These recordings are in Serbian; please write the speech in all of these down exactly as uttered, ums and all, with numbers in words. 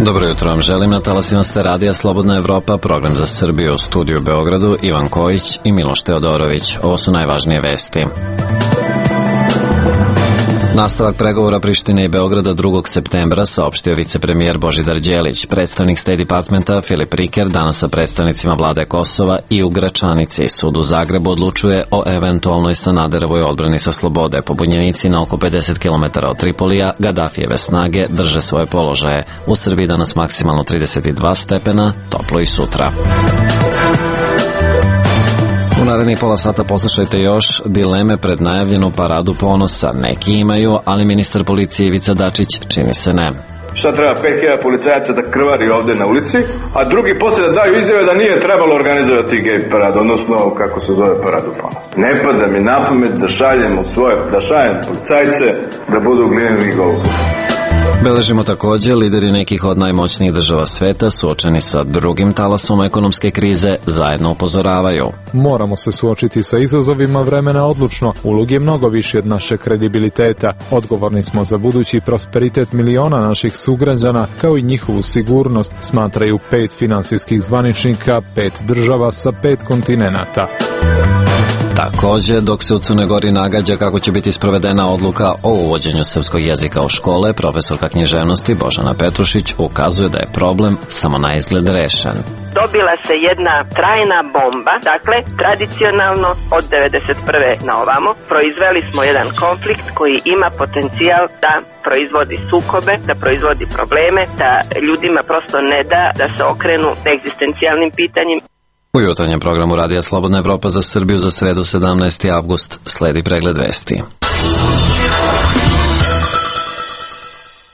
Dobro jutro vam želim, na talasima ste radija Slobodna Evropa, program za Srbiju, u studiju u Beogradu, Ivan Kojić i Miloš Teodorović. Ovo su najvažnije vesti. Nastavak pregovora Prištine i Beograda drugog septembra saopštio vicepremijer Božidar Đelić. Predstavnik State Departmenta Filip Riker danas sa predstavnicima vlade Kosova i u Gračanici. Sud u Zagrebu odlučuje o eventualnoj Sanaderovoj odbrani sa slobode. Pobunjenici na oko pedeset kilometara od Tripolija, Gadafijeve snage drže svoje položaje. U Srbiji danas maksimalno trideset dva stepena, toplo i sutra. U narednih pola sata poslušajte još dileme pred najavljenu paradu ponosa. Neki imaju, ali ministar policije Ivica Dačić čini se ne. Šta treba pet hiljada policajaca da krvari ovde na ulici, a drugi posle da daju izjave da nije trebalo organizovati gej paradu, odnosno kako se zove paradu ponosa. Ne pada mi na pamet da šaljemo svoje, da šaljem policajce da budu glineni golubi. Beležimo također, lideri nekih od najmoćnijih država sveta suočeni sa drugim talasom ekonomske krize zajedno upozoravaju. Moramo se suočiti sa izazovima vremena odlučno. Ulog je mnogo više od našeg kredibiliteta. Odgovorni smo za budući prosperitet miliona naših sugrađana, kao i njihovu sigurnost, smatraju pet finansijskih zvaničnika, pet država sa pet kontinenata. Također, dok se u Crnoj Gori nagađa kako će biti sprovedena odluka o uvođenju srpskog jezika u škole, profesorka književnosti Božana Petrušić ukazuje da je problem samo na izgled rešen. Dobila se jedna trajna bomba, dakle, tradicionalno od devedeset prve na ovamo proizveli smo jedan konflikt koji ima potencijal da proizvodi sukobe, da proizvodi probleme, da ljudima prosto ne da da se okrenu egzistencijalnim pitanjima. U jutarnjem programu Radija Slobodna Evropa za Srbiju za sredu sedamnaesti avgust sledi pregled vesti.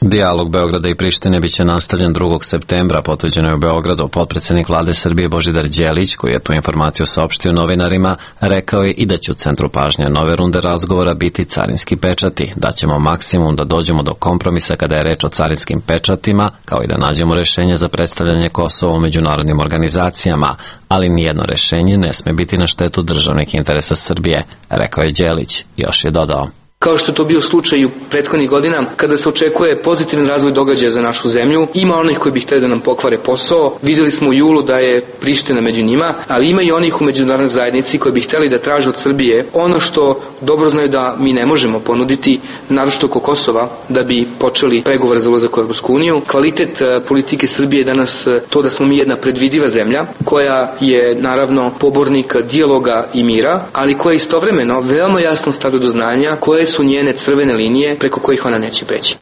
Dijalog Beograda i Prištine biće nastavljen drugog septembra, potvrđeno je u Beogradu. Potpredsednik vlade Srbije Božidar Đelić, koji je tu informaciju saopštio novinarima, rekao je i da će u centru pažnje nove runde razgovora biti carinski pečati. Daćemo maksimum da dođemo do kompromisa kada je reč o carinskim pečatima, kao i da nađemo rešenje za predstavljanje Kosova u međunarodnim organizacijama, ali nijedno rešenje ne sme biti na štetu državnih interesa Srbije, rekao je Đelić. Još je dodao: Kao što je to bio slučaj u prethodnih godina, kada se očekuje pozitivan razvoj događaja za našu zemlju, ima onih koji bi hteli da nam pokvare posao. Videli smo u julu da je Priština među njima, ali ima i onih u međunarodnoj zajednici koji bi hteli da traže od Srbije ono što dobro znaju da mi ne možemo ponuditi, naročito oko Kosova, da bi počeli pregovore za ulazak u Evropsku uniju. Kvalitet politike Srbije je danas to da smo mi jedna predvidiva zemlja, koja je naravno pobornik dijaloga i mira, ali koja istovremeno veoma jasno stavlja do znanja koje su njene crvene linije preko kojih ona neće preći.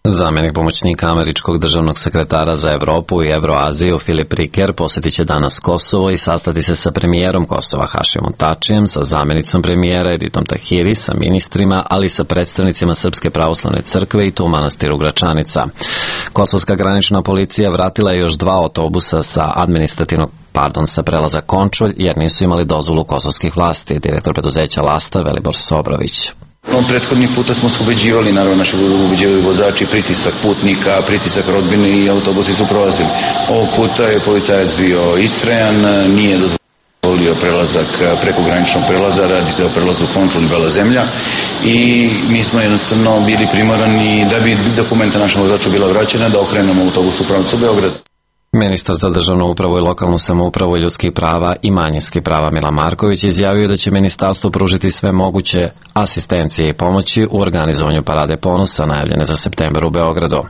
Zamenik pomoćnika američkog državnog sekretara za Evropu i Evroaziju Filip Riker posjetit će danas Kosovo i sastati se sa premijerom Kosova Hašimom Tačijem, sa zamenicom premijera Editom Tahiri, sa ministrima, ali i sa predstavnicima Srpske pravoslavne crkve i to u manastiru Gračanica. Kosovska granična policija vratila je još dva autobusa sa administrativnog pardon, sa prelaza Končulj, jer nisu imali dozvolu kosovskih vlasti, direktor preduzeća Lasta Velibor Sobrović. On prethodnih puta smo se ubeđivali, naravno naši ubeđivali vozači, pritisak putnika, pritisak rodbine i autobusi su prolazili. Ovog puta je policajac bio istrajan, nije dozvolio prelazak preko graničnog prelaza, radi se o prelazu Končulj Bela zemlja i mi smo jednostavno bili primorani da bi dokumenta našem vozaču bila vraćena da okrenemo autobus u pravcu Beograda. Ministar za državnu upravu i lokalnu samoupravu i ljudskih prava i manjinskih prava Milan Marković izjavio da će ministarstvo pružiti sve moguće asistencije i pomoći u organizovanju parade ponosa najavljene za septembar u Beogradu.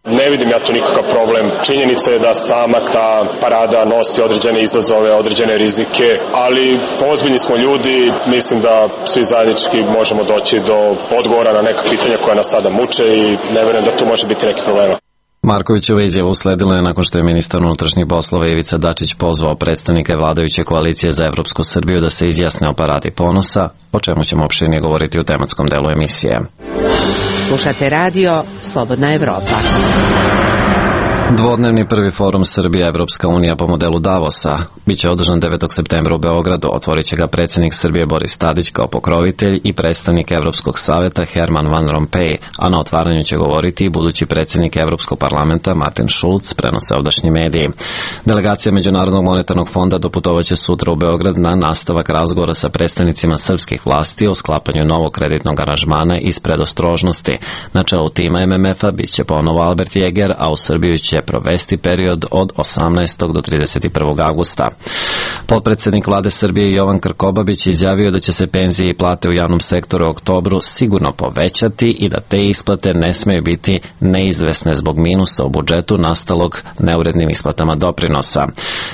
Ne vidim ja tu nikakav problem. Činjenica je da sama ta parada nosi određene izazove, određene rizike, ali ozbiljni smo ljudi, mislim da svi zajednički možemo doći do odgovora na neka pitanja koja nas sada muče i ne verujem da tu može biti neki problema. Markovićeva izjava usledila je nakon što je ministar unutrašnjih poslova Ivica Dačić pozvao predstavnike vladajuće koalicije za Evropsku Srbiju da se izjasne o paradi ponosa, o čemu ćemo opširnije govoriti u tematskom delu emisije. Slušate radio Slobodna Evropa. Dvodnevni prvi forum Srbija Evropska unija po modelu Davosa biće održan devetog septembra u Beogradu. Otvorit će ga predsjednik Srbije Boris Tadić kao pokrovitelj i predstavnik Evropskog saveta Herman Van Rompuy, a na otvaranju će govoriti i budući predsjednik Evropskog parlamenta Martin Schulz, prenose ovdašnji mediji. Delegacija Međunarodnog monetarnog fonda doputovaće sutra u Beograd na nastavak razgovora sa predstavnicima srpskih vlasti o sklapanju novog kreditnog aranžmana iz predostrožnosti. Na čelu tima M M F-a biće ponovo Albert Jäger, a u Srbiju će će provesti period od osamnaestog do trideset prvog avgusta. Potpredsednik vlade Srbije Jovan Krkobabić izjavio da će se penzije i plate u javnom sektoru u oktobru sigurno povećati i da te isplate ne smeju biti neizvesne zbog minusa u budžetu nastalog neurednim isplatama doprinosa.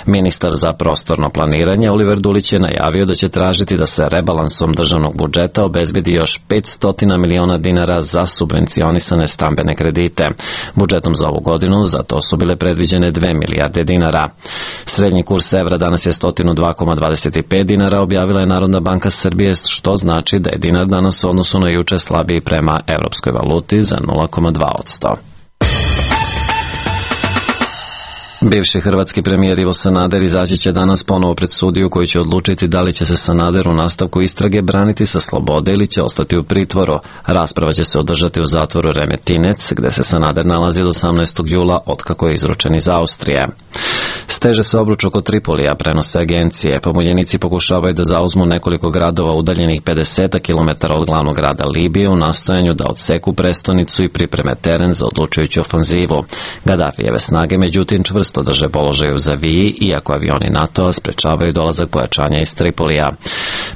Ministar za prostorno planiranje Oliver Dulić je najavio da će tražiti da se rebalansom državnog budžeta obezbedi još petsto miliona dinara za subvencionisane stambene kredite. Budžetom za ovu godinu za to su bile predviđene dve milijarde dinara. Srednji kurs evra danas je sto dva zarez dvadeset pet dinara, objavila je Narodna banka Srbije, što znači da je dinar danas u odnosu na juče slabiji prema evropskoj valuti za nula zarez dva posto. Bivši hrvatski premijer Ivo Sanader izaći će danas ponovo pred sudiju koji će odlučiti da li će se Sanader u nastavku istrage braniti sa slobode ili će ostati u pritvoru. Rasprava će se održati u zatvoru Remetinec, gde se Sanader nalazi od osamnaestog jula otkako je izručen iz Austrije. Steže se obruč oko Tripolija, prenose agencije. Pobunjenici pokušavaju da zauzmu nekoliko gradova udaljenih pedeset kilometara od glavnog grada Libije u nastojanju da odseku prestonicu i pripreme teren za odlučujuću ofanzivu. Gaddafijeve snage međutim čvrsto drže položaj u Zaviji, iako avioni NATO-a sprečavaju dolazak pojačanja iz Tripolija.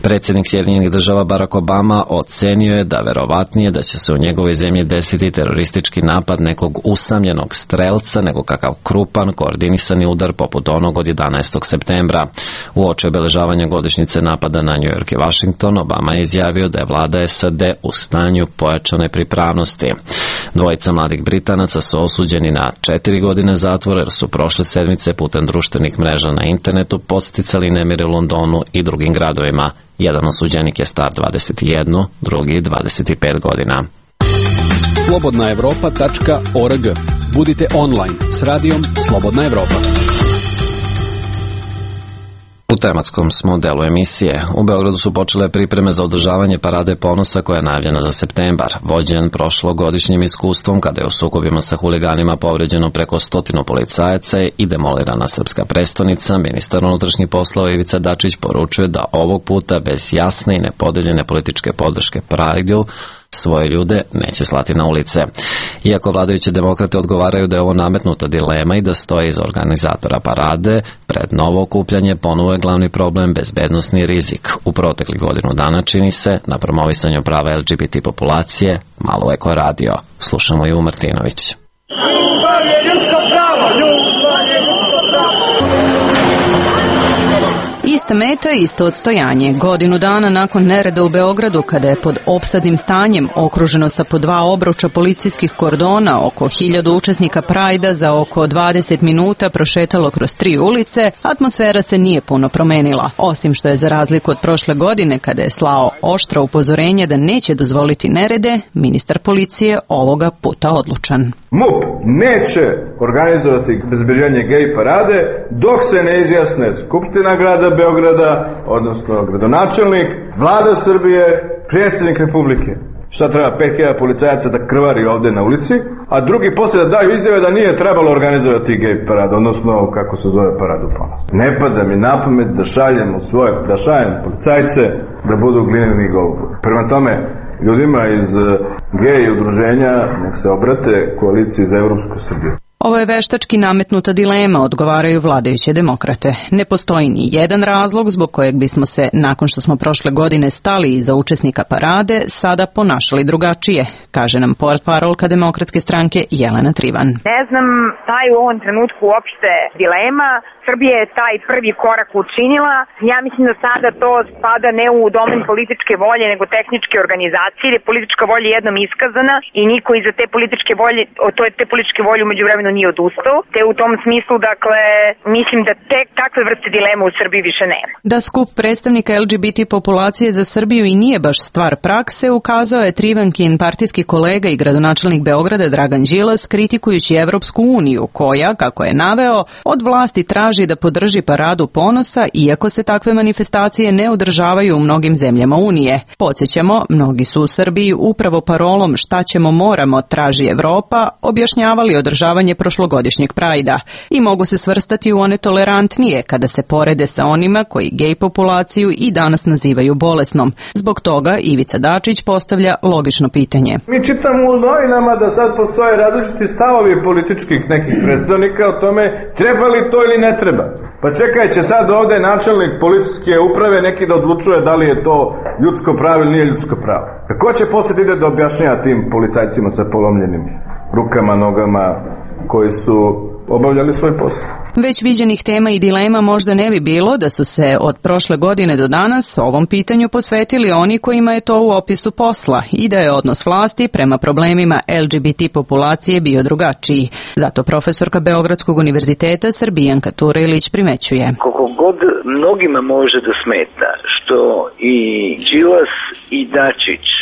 Predsjednik Sjedinjenih država Barack Obama ocenio je da verovatnije da će se u njegovoj zemlji desiti teroristički napad nekog usamljenog strelca nego kakav krupan, koordinisani udar poput onog od jedanaestog septembra. Uoči obeležavanja godišnjice napada na New York i Washington, Obama je izjavio da je vlada S A D u stanju pojačane pripravnosti. Dvojica mladih Britanaca su osuđeni na četiri godine zatvora jer su prošle sedmice putem društvenih mreža na internetu podsticali nemire u Londonu i drugim gradovima. Jedan osuđenik je star dvadeset jedan, drugi dvadeset pet godina. slobodna evropa tačka org. Budite online s radijom Slobodna Evropa. U tematskom smo delu emisije. U Beogradu su počele pripreme za održavanje Parade ponosa koja je najavljena za septembar. Vođen prošlogodišnjim iskustvom kada je u sukobima sa huliganima povređeno preko stotinu policajaca i demolirana srpska prestonica, ministar unutrašnjih poslova Ivica Dačić poručuje da ovog puta bez jasne i nepodeljene političke podrške Prideu svoje ljude neće slati na ulice. Iako vladajuće demokrate odgovaraju da je ovo nametnuta dilema i da stoje iza organizatora parade, pred novo okupljanje ponovo je glavni problem bezbednosni rizik. U proteklih godinu dana čini se na promovisanju prava L G B T populacije malo Eko radio. Slušamo Ivu Martinović. Ljubav je ljudsko pravo, ljubav je ljudsko pravo. Ista meta i isto odstojanje. Godinu dana nakon nereda u Beogradu, kada je pod opsadnim stanjem okruženo sa po dva obruča policijskih kordona oko hiljadu učesnika Prajda za oko dvadeset minuta prošetalo kroz tri ulice, atmosfera se nije puno promenila. Osim što je za razliku od prošle godine, kada je slao oštra upozorenje da neće dozvoliti nerede, ministar policije ovoga puta odlučan. M U P neće organizovati bezbeđenje gej parade dok se ne izjasne Skupština grada Beograda, odnosno gradonačelnik, vlada Srbije, predsjednik Republike. Šta treba, pet hiljada policajaca da krvari ovde na ulici, a drugi posle da daju izjave da nije trebalo organizovati gej paradu, odnosno kako se zove paradu ponosa. Ne pada mi na pamet da šaljemo svoje, da šaljem policajce da budu glineni golubovi. Prema tome, ljudima iz gej udruženja nek se obrate koaliciji za Evropsku Srbiju. Ovo je veštački nametnuta dilema, odgovaraju vladajuće demokrate. Ne postoji ni jedan razlog zbog kojeg bismo se, nakon što smo prošle godine stali iza učesnika parade, sada ponašali drugačije, kaže nam portparolka Demokratske stranke Jelena Trivan. Ne znam, šta je u ovom trenutku uopšte dilema. Srbija je taj prvi korak učinila. Ja mislim da sada to spada ne u domen političke volje, nego tehničke organizacije, jer je politička volja jednom iskazana i niko iza te političke volje, to je te političke volje umeđu vremenu nije odustao. Te u tom smislu, dakle, mislim da te takve vrste dileme u Srbiji više nema. Da skup predstavnika L G B T populacije za Srbiju i nije baš stvar prakse, ukazao je Trivankin partijski kolega i gradonačelnik Beograda Dragan Đilas, kritikujući Evropsku uniju, koja, kako je naveo, od vlasti traži da podrži paradu ponosa, iako se takve manifestacije ne održavaju u mnogim zemljama Unije. Podsjećamo, mnogi su u Srbiji upravo parolom šta ćemo moramo traži Evropa objašnjavali održavanje prošlogodišnjeg Prajda i mogu se svrstati u one tolerantnije kada se porede sa onima koji gej populaciju i danas nazivaju bolesnom. Zbog toga Ivica Dačić postavlja logično pitanje. Mi čitamo u novinama da sad postoje različiti stavovi političkih nekih predstavnika o tome treba li to ili ne treba. Pa čekaj, će sad ovde načelnik policijske uprave neki da odlučuje da li je to ljudsko pravo ili nije ljudsko pravo. Kako će posle ide da objašnjava tim policajcima sa polomljenim rukama, nogama, koji su obavljali svoj posao? Već viđenih tema i dilema možda ne bi bilo da su se od prošle godine do danas ovom pitanju posvetili oni kojima je to u opisu posla i da je odnos vlasti prema problemima L G B T populacije bio drugačiji. Zato profesorka Beogradskog univerziteta Srbijanka Turelić primećuje. Koliko god mnogima može da smeta što i Đilas i Dačić e,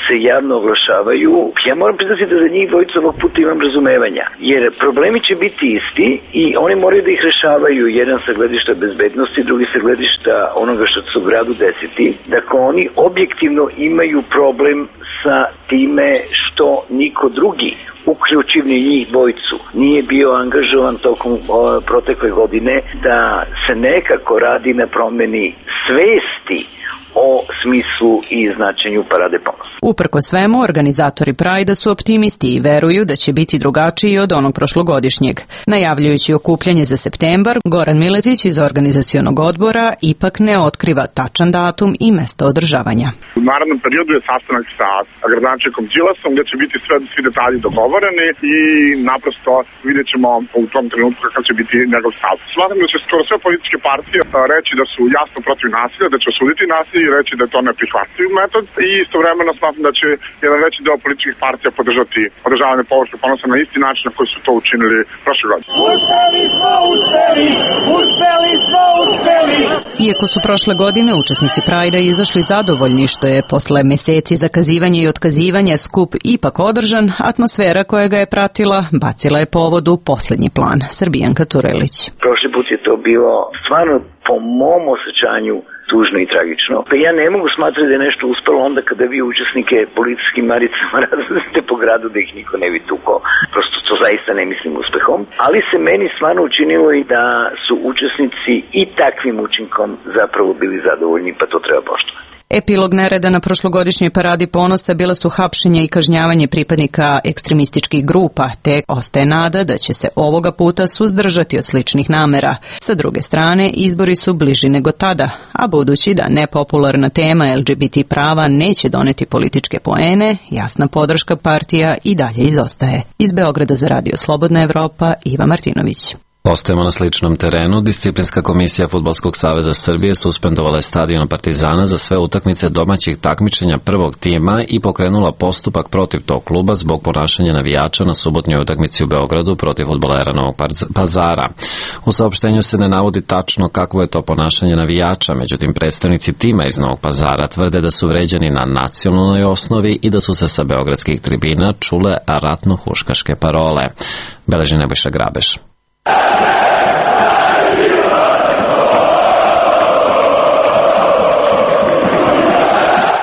se javno oglašavaju, ja moram priznati da za njih dvojicu ovog puta imam razumevanja. Jer problemi će biti isti i oni moraju da ih rešavaju, jedan sa gledišta bezbednosti, drugi sa gledišta onoga što se u gradu desiti. Dakle, oni objektivno imaju problem sa time što niko drugi, uključivni njih dvojicu, nije bio angažovan tokom o, protekle godine da se nekako radi na promeni svesti o smislu i značenju Parade ponosa. Uprko svemu, organizatori Prajda su optimisti i veruju da će biti drugačiji od onog prošlogodišnjeg. Najavljujući okupljanje za septembar, Goran Miletić iz organizacionog odbora ipak ne otkriva tačan datum i mesto održavanja. U narednom periodu je sastanak sa gradonačelnikom Đilasom gde će biti sve, svi detalji dogovoreni i naprosto vidjet ćemo u tom trenutku kakav će biti njegov stav. Smatram da će skoro sve političke partije reći da su jasno protiv nasilja, da će osuditi nasilje i reći da je to neprihvatljiv metod i istovremeno smatram da će jedan veći deo političkih partija podržati održavanje Površnog ponosa na isti način na koji su to učinili prošle godine. Uspeli smo, uspeli, uspeli smo, uspeli. Iako su prošle godine učesnici Prajda izašli zadovoljni što je posle meseci zakazivanja i otkazivanja skup ipak održan, atmosfera koja ga je pratila bacila je povodu poslednji plan. Srbijanka Turelić. Prošli put je to bilo stvarno po mom osjećanju tužno i tragično. Pa ja ne mogu smatrati da je nešto uspelo onda kada vi učesnike policijskim maricama razvozite po gradu da ih niko ne bi tukao. Prosto to zaista ne mislim uspehom. Ali se meni stvarno učinilo i da su učesnici i takvim učinkom zapravo bili zadovoljni, pa to treba poštovati. Epilog nereda na prošlogodišnjoj Paradi ponosa bila su hapšenje i kažnjavanje pripadnika ekstremističkih grupa, te ostaje nada da će se ovoga puta suzdržati od sličnih namera. Sa druge strane, izbori su bliži nego tada, a budući da nepopularna tema L G B T prava neće doneti političke poene, jasna podrška partija i dalje izostaje. Iz Beograda za Radio Slobodna Evropa, Iva Martinović. Ostajemo na sličnom terenu. Disciplinska komisija Fudbalskog saveza Srbije suspendovala je stadion Partizana za sve utakmice domaćih takmičenja prvog tima i pokrenula postupak protiv tog kluba zbog ponašanja navijača na subotnjoj utakmici u Beogradu protiv fudbalera Novog Pazara. U saopštenju se ne navodi tačno kakvo je to ponašanje navijača, međutim predstavnici tima iz Novog Pazara tvrde da su vređani na nacionalnoj osnovi i da su se sa beogradskih tribina čule ratno-huškaške parole. Beleži Nebojša Grabeš.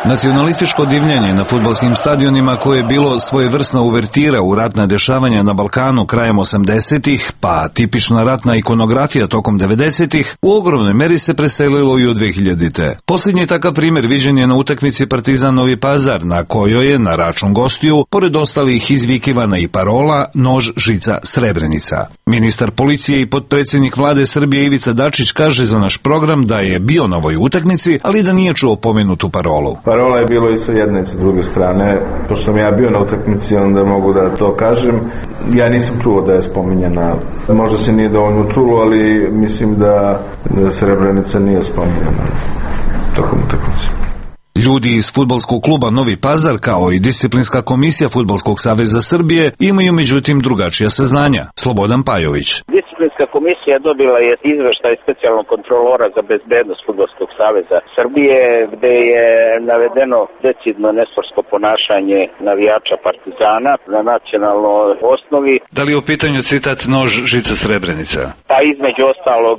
Nacionalističko divljanje na fudbalskim stadionima koje je bilo svojevrsna uvertira u ratna dešavanja na Balkanu krajem osamdesetih, pa tipična ratna ikonografija tokom devedesetih, u ogromnoj meri se preselilo i u dve hiljadite. Posljednji takav primjer viđen je na utakmici Partizan Novi Pazar, na kojoj je, na račun gostiju, pored ostalih izvikivana i parola Nož, žica, Srebrenica. Ministar policije i potpredsjednik vlade Srbije Ivica Dačić kaže za naš program da je bio na ovoj utakmici, ali da nije čuo pomenutu parolu. Parola je bilo i sa jedne i sa druge strane. Pošto sam ja bio na utakmici, onda mogu da to kažem. Ja nisam čuo da je spominjena. Možda se nije dovoljno čulo, ali mislim da, da Srebrenica nije spominjena tokom utakmice. Ljudi iz fudbalskog kluba Novi Pazar, kao i disciplinska komisija Fudbalskog saveza Srbije, imaju međutim drugačija saznanja. Slobodan Pajović. Disciplinska komisija dobila je izveštaj specijalnog kontrolora za bezbednost Fudbalskog saveza Srbije, gde je navedeno decidno nesportsko ponašanje navijača Partizana na nacionalnoj osnovi. Da li je u pitanju citat Nož, žica, Srebrenica? Pa između ostalog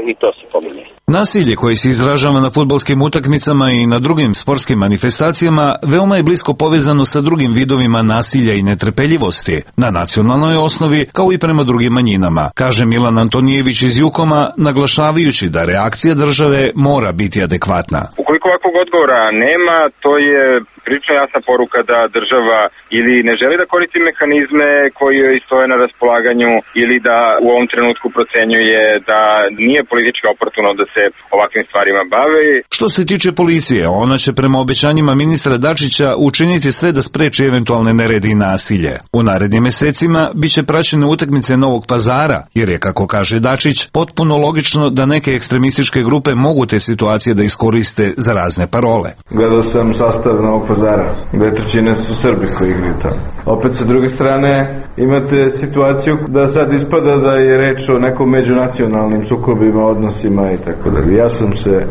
i to se pominje. Nasilje koje se izražava na fudbalskim utakmicama i na drugim sportskim sportskim manifestacijama veoma je blisko povezano sa drugim vidovima nasilja i netrpeljivosti na nacionalnoj osnovi kao i prema drugim manjinama, kaže Milan Antonijević iz Jukoma, naglašavajući da reakcija države mora biti adekvatna. Ukoliko ovakvog odgovora nema, to je prilično jasna poruka da država ili ne želi da koristi mehanizme koji joj stoje na raspolaganju ili da u ovom trenutku procenjuje da nije politički oportuno da se ovakvim stvarima bave. Što se tiče policije, ona će prema obećanjima ministra Dačića učiniti sve da spreči eventualne nerede i nasilje. U narednim mesecima biće praćene utakmice Novog Pazara, jer je, kako kaže Dačić, potpuno logično da neke ekstremističke grupe mogu te situacije da iskoriste za razne parole. Gledao sam sastav Novog Pazara, dve trećine su Srbi koji igraju tamo. Opet sa druge strane imate situaciju da sad ispada da je reč o nekom međunacionalnim sukobima, odnosima i tako dalje. Ja sam se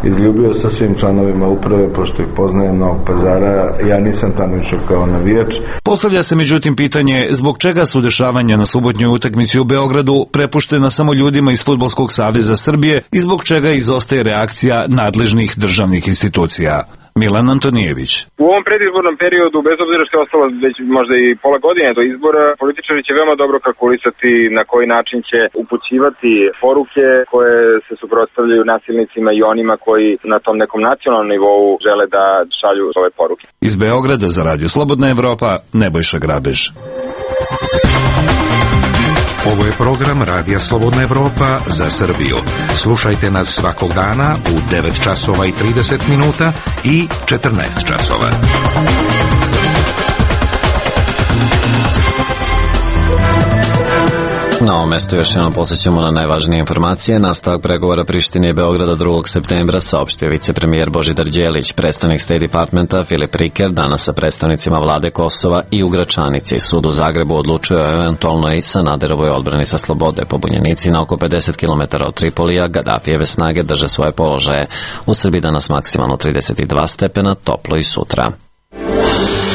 izljubio sa svim članovima uprave, pošto ih poznajem Novog Pazara, ja nisam tamo išao kao navijač. Postavlja se međutim pitanje zbog čega su dešavanja na subotnjoj utakmici u Beogradu prepuštena samo ljudima iz Fudbalskog saveza Srbije i zbog čega izostaje reakcija nadležnih državnih institucija. Milan Antonijević. U ovom predizbornom periodu, bez obzira što je ostalo već možda i pola godine do izbora, političari će veoma dobro kalkulisati na koji način će upućivati poruke koje se suprotstavljaju nasilnicima i onima koji na tom nekom nacionalnom nivou žele da šalju ove poruke. Iz Beograda za Radio Slobodna Evropa, Nebojša Grabež. Ovo je program Radija Slobodna Evropa za Srbiju. Slušajte nas svakog dana u devet časova i trideset minuta i četrnaest časova. Na ovom mestu još jednom posjećamo na najvažnije informacije. Nastavak pregovora Prištine i Beograda drugog septembra saopštio vicepremijer Božidar Đelić. Predstavnik State Departmenta Filip Riker danas sa predstavnicima vlade Kosova i u Gračanici. Sud u Zagrebu odlučuje o eventualnoj Sanaderovoj odbrani sa slobode. Pobunjenici na oko pedeset kilometara od Tripolija Gadafijeve snage drže svoje položaje. U Srbiji danas maksimalno trideset dva stepena, toplo i sutra.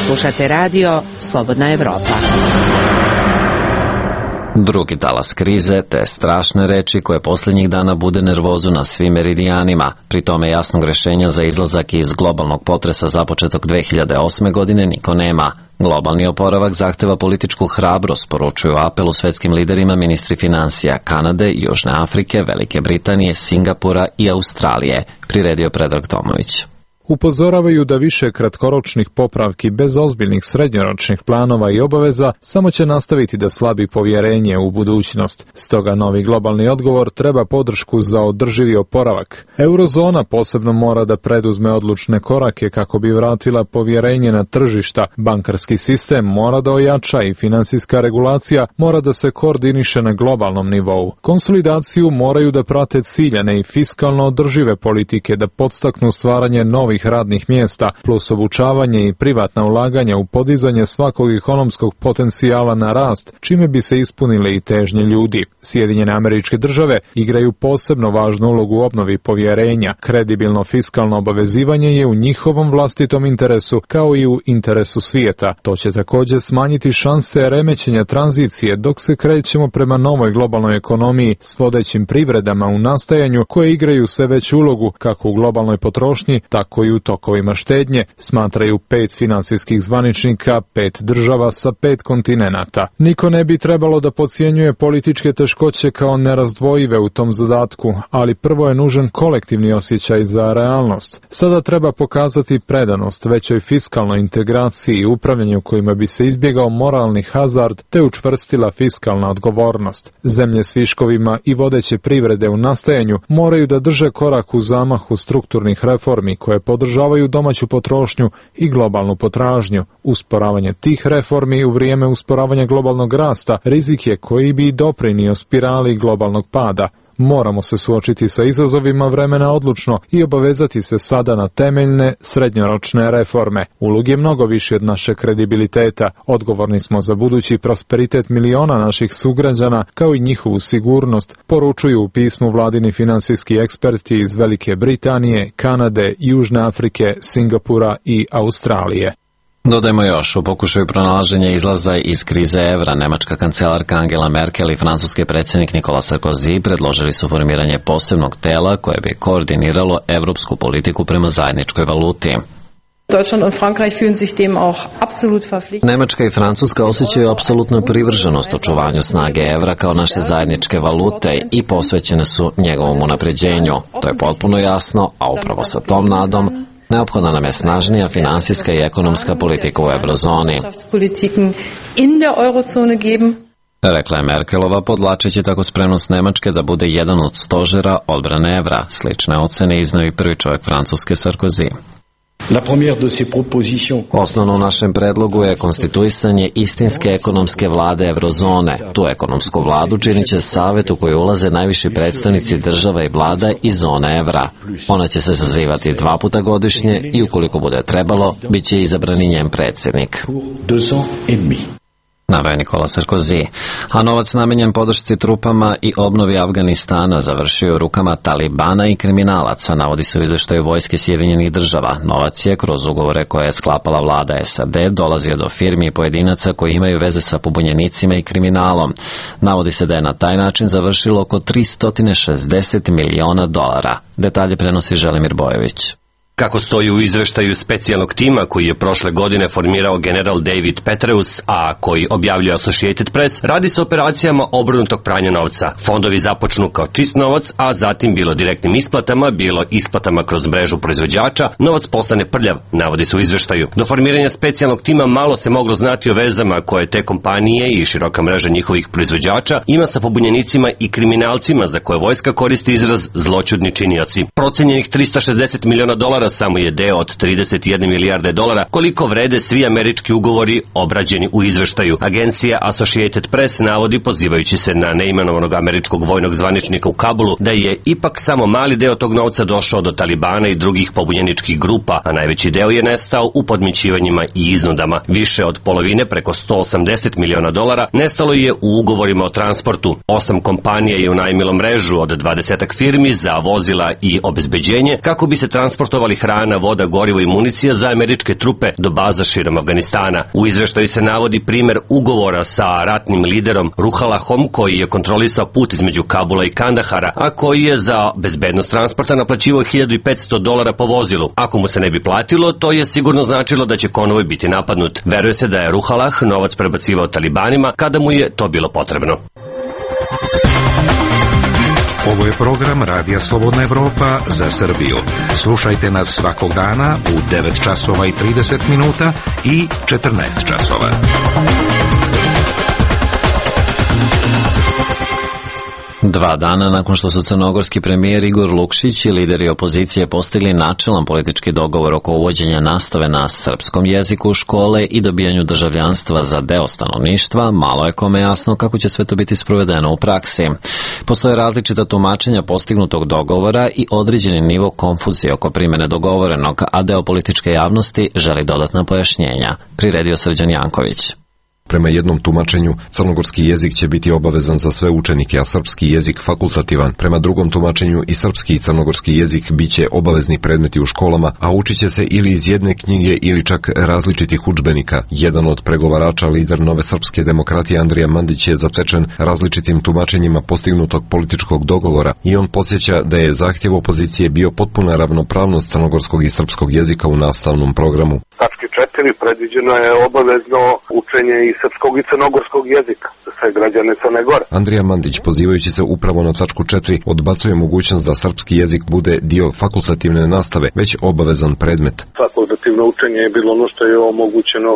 Slušate radio Slobodna Evropa. Drugi talas krize, te strašne reči koje posljednjih dana bude nervozu na svim meridijanima. Pri tome jasnog rešenja za izlazak iz globalnog potresa započetog dve hiljade osme. godine niko nema. Globalni oporavak zahteva političku hrabrost, poručuju apelu svetskim liderima ministri financija Kanade, Južne Afrike, Velike Britanije, Singapura i Australije, priredio Predrag Tomović. Upozoravaju da više kratkoročnih popravki bez ozbiljnih srednjoročnih planova i obaveza samo će nastaviti da slabi povjerenje u budućnost. Stoga novi globalni odgovor treba podršku za održivi oporavak. Eurozona posebno mora da preduzme odlučne korake kako bi vratila povjerenje na tržišta. Bankarski sistem mora da ojača i finansijska regulacija mora da se koordiniše na globalnom nivou. Konsolidaciju moraju da prate ciljane i fiskalno održive politike da podstaknu stvaranje novih radnih mjesta, plus obučavanje i privatna ulaganja u podizanje svakog ekonomskog potencijala na rast, čime bi se ispunile i težnje ljudi. Sjedinjene Američke Države igraju posebno važnu ulogu u obnovi povjerenja. Kredibilno fiskalno obavezivanje je u njihovom vlastitom interesu, kao i u interesu svijeta. To će također smanjiti šanse remećenja tranzicije dok se krećemo prema novoj globalnoj ekonomiji s vodećim privredama u nastajanju koje igraju sve veću ulogu kako u globalnoj potrošnji, tako i u tokovima štednje, smatraju pet finansijskih zvaničnika, pet država sa pet kontinenata. Niko ne bi trebalo da podcjenjuje političke teškoće kao nerazdvojive u tom zadatku, ali prvo je nužan kolektivni osjećaj za realnost. Sada treba pokazati predanost većoj fiskalnoj integraciji i upravljanju kojima bi se izbjegao moralni hazard te učvrstila fiskalna odgovornost. Zemlje s viškovima i vodeće privrede u nastajanju moraju da drže korak u zamahu strukturnih reformi koje podržavaju domaću potrošnju i globalnu potražnju. Usporavanje tih reformi u vrijeme usporavanja globalnog rasta rizik je koji bi doprinio spirali globalnog pada. Moramo se suočiti sa izazovima vremena odlučno i obavezati se sada na temeljne, srednjoročne reforme. Ulog je mnogo više od naše kredibiliteta. Odgovorni smo za budući prosperitet miliona naših sugrađana, kao i njihovu sigurnost, poručuju u pismu vladini finansijski eksperti iz Velike Britanije, Kanade, Južne Afrike, Singapura i Australije. Dodajmo još, u pokušaju pronalaženja izlaza iz krize evra, nemačka kancelarka Angela Merkel i francuski predsjednik Nicolas Sarkozy predložili su formiranje posebnog tela koje bi koordiniralo evropsku politiku prema zajedničkoj valuti. Deutschland und Frankreich fühlen sich dem auch absolut verpflichtet. Nemačka i Francuska osjećaju apsolutnu privrženost očuvanju snage evra kao naše zajedničke valute i posvećene su njegovom unapređenju. To je potpuno jasno, a upravo sa tom nadom neophodna nam je snažnija finansijska i ekonomska politika u eurozoni, rekla je Merkelova, podlačeći tako spremnost Nemačke da bude jedan od stožera odbrane evra. Slične ocene izneo i prvi čovjek Francuske Sarkozy. Osnovno u našem predlogu je konstituisanje istinske ekonomske vlade eurozone. Tu ekonomsku vladu činit će savet u koji ulaze najviši predstavnici država i vlada iz zone evra. Ona će se sazivati dva puta godišnje i ukoliko bude trebalo, bit će izabran i njen predsjednik, naveo Nikola Sarkozy. A novac namenjen podršci trupama i obnovi Afganistana završio u rukama Talibana i kriminalaca, navodi se u izveštaju Vojske Sjedinjenih država. Novac je, kroz ugovore koje je sklapala vlada S A D, dolazio do firmi i pojedinaca koji imaju veze sa pobunjenicima i kriminalom. Navodi se da je na taj način završilo oko tristo šezdeset miliona dolara. Detalje prenosi Želimir Bojević. Kako stoji u izveštaju specijalnog tima koji je prošle godine formirao general David Petraeus, a koji objavljuje Associated Press, radi se o operacijama obrnutog pranja novca. Fondovi započnu kao čist novac, a zatim bilo direktnim isplatama, bilo isplatama kroz mrežu proizvođača, novac postane prljav, navodi se u izveštaju. Do formiranja specijalnog tima malo se moglo znati o vezama koje te kompanije i široka mreža njihovih proizvođača ima sa pobunjenicima i kriminalcima za koje vojska koristi izraz zloćudni činioci. Procenjenih tristo šezdeset miliona dolara samo je deo od trideset jedne milijarde dolara koliko vrede svi američki ugovori obrađeni u izveštaju. Agencija Associated Press navodi, pozivajući se na neimenovanog američkog vojnog zvaničnika u Kabulu, da je ipak samo mali deo tog novca došao do Talibana i drugih pobunjeničkih grupa, a najveći deo je nestao u podmićivanjima i iznudama. Više od polovine, preko sto osamdeset miliona dolara, nestalo je u ugovorima o transportu. Osam kompanija je unajmilo mrežu od dvadesetak firmi za vozila i obezbeđenje kako bi se transportovali hrana, voda, gorivo i municija za američke trupe do baza širom Afganistana. U izveštaju se navodi primer ugovora sa ratnim liderom Ruhalahom, koji je kontrolisao put između Kabula i Kandahara, a koji je za bezbednost transporta naplaćivao hiljadu petsto dolara po vozilu. Ako mu se ne bi platilo, to je sigurno značilo da će konvoj biti napadnut. Veruje se da je Ruhalah novac prebacivao Talibanima kada mu je to bilo potrebno. Ovo je program Radija Slobodna Evropa za Srbiju. Slušajte nas svakog dana u devet časova i trideset minuta i četrnaest časova. Dva dana nakon što su crnogorski premijer Igor Lukšić i lideri opozicije postigli načelan politički dogovor oko uvođenja nastave na srpskom jeziku u škole i dobijanju državljanstva za deo stanovništva, malo je kome jasno kako će sve to biti sprovedeno u praksi. Postoje različita tumačenja postignutog dogovora i određeni nivo konfuzije oko primene dogovorenog, a deo političke javnosti želi dodatna pojašnjenja. Priredio Srđan Janković. Prema jednom tumačenju, crnogorski jezik će biti obavezan za sve učenike, a srpski jezik fakultativan. Prema drugom tumačenju, i srpski i crnogorski jezik biće obavezni predmeti u školama, a učit će se ili iz jedne knjige ili čak različitih udžbenika. Jedan od pregovarača, lider Nove srpske demokratije Andrija Mandić, je zatečen različitim tumačenjima postignutog političkog dogovora i on podsjeća da je zahtjev opozicije bio potpuna ravnopravnost crnogorskog i srpskog jezika u nastavnom programu. Tački četiri predviđeno je obavezno učenje i srpskog i crnogorskog jezika za sve građane Crne Gore. Andrija Mandić, pozivajući se upravo na tačku četiri, odbacuje mogućnost da srpski jezik bude dio fakultativne nastave, već obavezan predmet. Fakultativno učenje je bilo ono što je omogućeno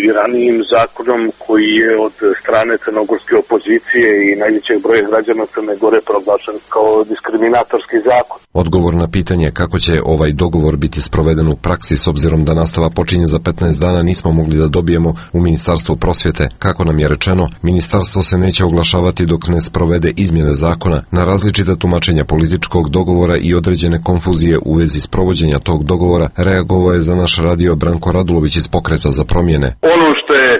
i ranijim zakonom koji je od strane crnogorske opozicije i najvećeg broja građana Crne Gore proglašen kao diskriminatorski zakon. Odgovor na pitanje kako će ovaj dogovor biti sproveden u praksi s obzirom da nastava počinje za petnaest dana nismo mogli da dobijemo u Ministarstvu prosvjete. Kako nam je rečeno, ministarstvo se neće oglašavati dok ne sprovede izmjene zakona. Na različita tumačenja političkog dogovora i određene konfuzije u vezi sprovođenja tog dogovora reagovao je za naš radio Branko Radulović iz Pokreta za promjene. Ono što je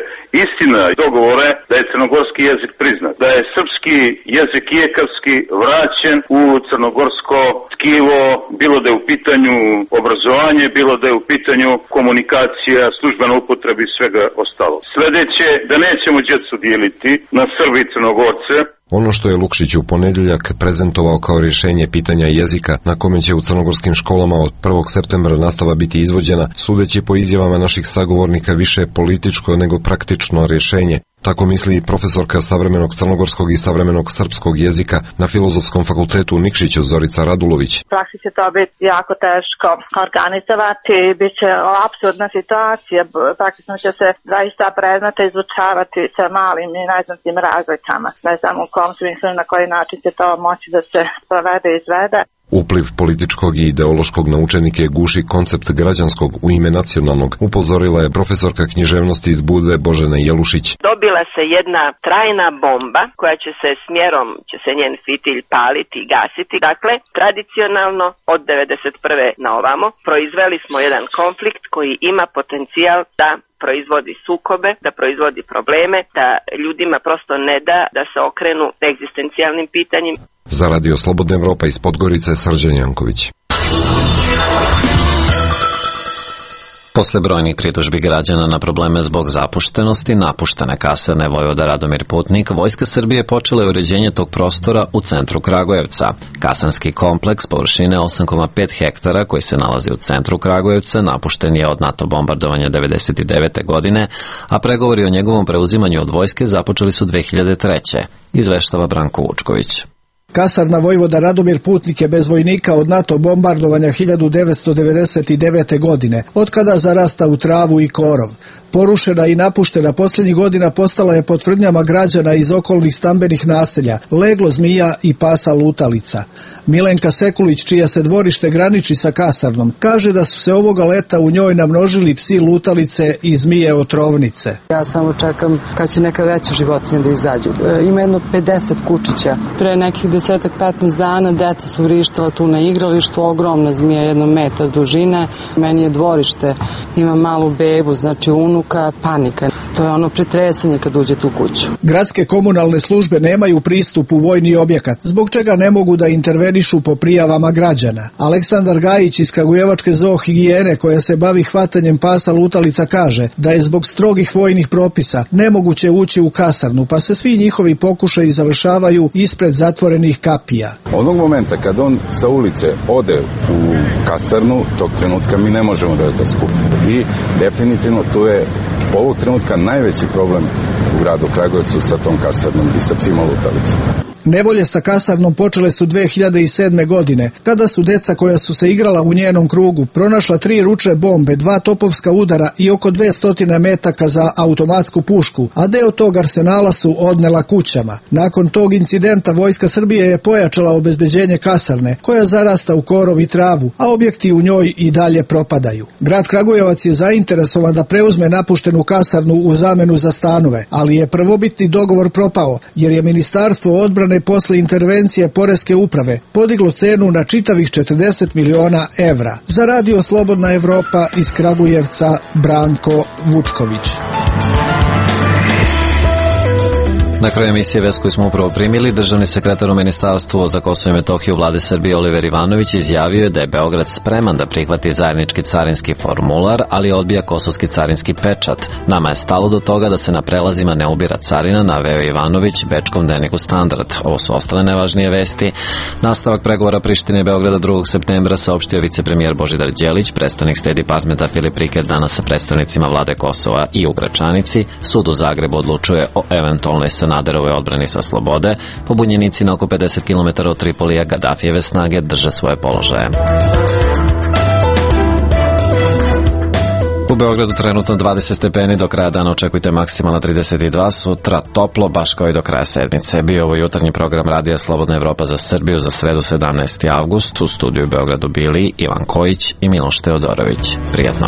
istina dogovore da je crnogorski jezik priznat, da je srpski srpski jezik ijekavski vraćen u crnogorsko tkivo, bilo da je u pitanju obrazovanje, bilo da je u pitanju komunikacija, službena upotreba i svega ostalo. Sledeće, da nećemo djecu dijeliti na Srbi i Crnogorce. Ono što je Lukšić u ponedeljak prezentovao kao rješenje pitanja jezika na kome će u crnogorskim školama od prvog septembra nastava biti izvođena, sudeći po izjavama naših sagovornika više političko nego praktično rješenje. Tako misli i profesorka savremenog crnogorskog i savremenog srpskog jezika na Filozofskom fakultetu u Nikšiću Zorica Radulović. U praksi će to biti jako teško organizovati, bit će apsurdna situacija, praktično će se zaista predmeta izučavati sa malim i neznatnim razlikama. Ne znam u kom smislu na koji način će to moći da se sprovede i izvede. Upliv političkog i ideološkog na učenike guši koncept građanskog u ime nacionalnog, upozorila je profesorka književnosti iz Budve Božena Jelušić. Dobila se jedna trajna bomba koja će se smjerom, će se njen fitilj paliti i gasiti. Dakle, tradicionalno od devedeset prve na ovamo proizveli smo jedan konflikt koji ima potencijal da proizvodi sukobe, da proizvodi probleme, da ljudima prosto ne da da se okrenu egzistencijalnim pitanjima. Za Radio Slobodna Evropa iz Podgorice, Srđan Janković. Posle brojnih pritužbi građana na probleme zbog zapuštenosti napuštene kasarne Vojvoda Radomir Putnik, Vojska Srbije počela je uređenje tog prostora u centru Kragujevca. Kasarnski kompleks površine osam zarez pet hektara koji se nalazi u centru Kragujevca napušten je od NATO bombardovanja devedeset devete. godine, a pregovori o njegovom preuzimanju od vojske započeli su dve hiljade treće. Izveštava Branko Vučković. Kasarna Vojvoda Radomir Putnik je bez vojnika od NATO bombardovanja hiljadu devetsto devedeset devete. godine, otkada zarasta u travu i korov. Porušena i napuštena posljednjih godina postala je pod tvrdnjama građana iz okolnih stambenih naselja, leglo zmija i pasa lutalica. Milenka Sekulić, čija se dvorište graniči sa kasarnom, kaže da su se ovoga leta u njoj namnožili psi lutalice i zmije otrovnice. Ja samo čekam kad će neka veća životinja da izađu. E, ima jedno pedeset kučića. Pre nekih desetak petnaest dana deca su vrištala tu na igralištu, ogromna zmija, jedno metar dužine. Meni je dvorište, ima malu bebu, znači unuka, panika. To je ono pretresanje kad uđete u kuću. Gradske komunalne službe nemaju pristup u vojni objekat, zbog čega ne mogu da intervenišu po prijavama građana. Aleksandar Gajić iz Kragujevačke zoohigijene, koja se bavi hvatanjem pasa lutalica, kaže da je zbog strogih vojnih propisa nemoguće ući u kasarnu, pa se svi njihovi pokušaji završavaju ispred zatvorenih kapija. Onog momenta kad on sa ulice ode u kasarnu, tog trenutka mi ne možemo da ga skupimo. I definitivno tu je ovog trenutka najveći problem u gradu Kragujevcu sa tom kasarnom i sa psima lutalicama. Nevolje sa kasarnom počele su dve hiljade sedme. godine, kada su deca koja su se igrala u njenom krugu pronašla tri ručne bombe, dva topovska udara i oko dvesta metaka za automatsku pušku, a deo tog arsenala su odnela kućama. Nakon tog incidenta Vojska Srbije je pojačala obezbeđenje kasarne, koja zarasta u korov i travu, a objekti u njoj i dalje propadaju. Grad Kragujevac je zainteresovan da preuzme napuštenu kasarnu u zamenu za stanove, ali je prvobitni dogovor propao, jer je Ministarstvo odbrane posle intervencije Poreske uprave podiglo cenu na čitavih četrdeset miliona evra. Za Radio Slobodna Evropa iz Kragujevca, Branko Vučković. Na kraju emisije vest koju smo upravo primili, državni sekretar u Ministarstvu za Kosovo i Metohiju Vlade Srbije Oliver Ivanović izjavio je da je Beograd spreman da prihvati zajednički carinski formular, ali odbija kosovski carinski pečat. Nama je stalo do toga da se na prelazima ne ubira carina, naveo Ivanović bečkom dnevniku Standard. Ovo su ostale najvažnije vesti. Nastavak pregovora Prištine i Beograda drugog septembra saopštio vicepremijer Božidar Đelić, predstavnik State Departmenta Filip Riker danas sa predstavnicima vlade Kosova i u Gračanici. Sud u Zagrebu odlučuje o eventualnoj Sanaderove odbrani sa slobode. Pobunjenici na oko pedeset kilometara od Tripolija Gadafijeve snage drže svoje položaje. U Beogradu trenutno dvadeset stepeni, do kraja dana očekujte maksimalna trideset dva, sutra toplo, baš kao i do kraja sedmice. Bio ovo jutarnji program Radija Slobodna Evropa za Srbiju za sredu sedamnaesti avgust. U studiju u Beogradu bili Ivan Kojić i Miloš Teodorović. Prijetno.